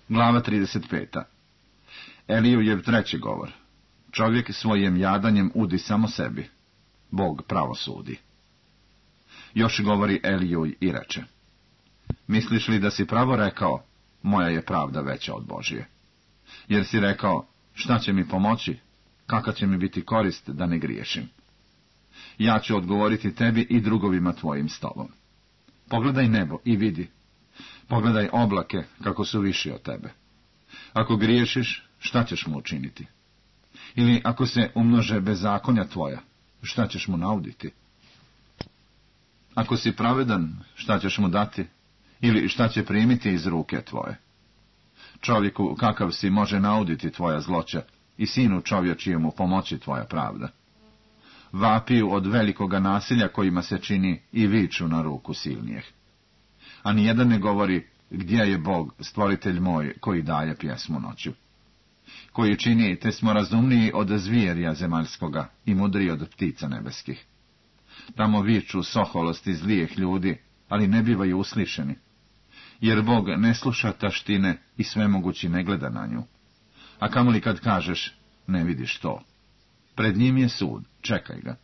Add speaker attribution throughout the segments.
Speaker 1: Glava 35. Elijujev treći govor. Čovjek svojim jadanjem udi samo sebi. Bog pravo sudi. Još govori Elijuj i reče: misliš li da si pravo rekao, moja je pravda veća od Božije? Jer si rekao, šta će mi pomoći, kakva će mi biti korist da ne griješim? Ja ću odgovoriti tebi i drugovima tvojim stolom. Pogledaj nebo i vidi. Pogledaj oblake kako su viši od tebe. Ako griješiš, šta ćeš mu učiniti? Ili ako se umnože bezakonja tvoja, šta ćeš mu nauditi? Ako si pravedan, šta ćeš mu dati? Ili šta će primiti iz ruke tvoje? Čovjeku kakav si može nauditi tvoja zloća i sinu čovječijemu pomoći tvoja pravda. Vapiju od velikoga nasilja kojima se čini i viču na ruku silnijeh. A nijedan ne govori, gdje je Bog, stvoritelj moj, koji daje pjesmu noću? Koji čini, te smo razumniji od zvijerja zemaljskoga i mudriji od ptica nebeskih. Tamo viču soholosti zlijeh ljudi, ali ne bivaju uslišeni. Jer Bog ne sluša taštine i svemogući ne gleda na nju. A kamoli kad kažeš, ne vidiš to. Pred njim je sud, čekaj ga.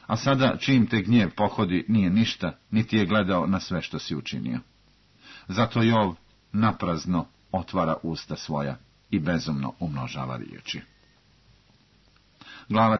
Speaker 1: A sada, čim te gnjev pohodi, nije ništa, niti je gledao na sve što si učinio. Zato Jov naprazno otvara usta svoja i bezumno umnožava riječi. Glava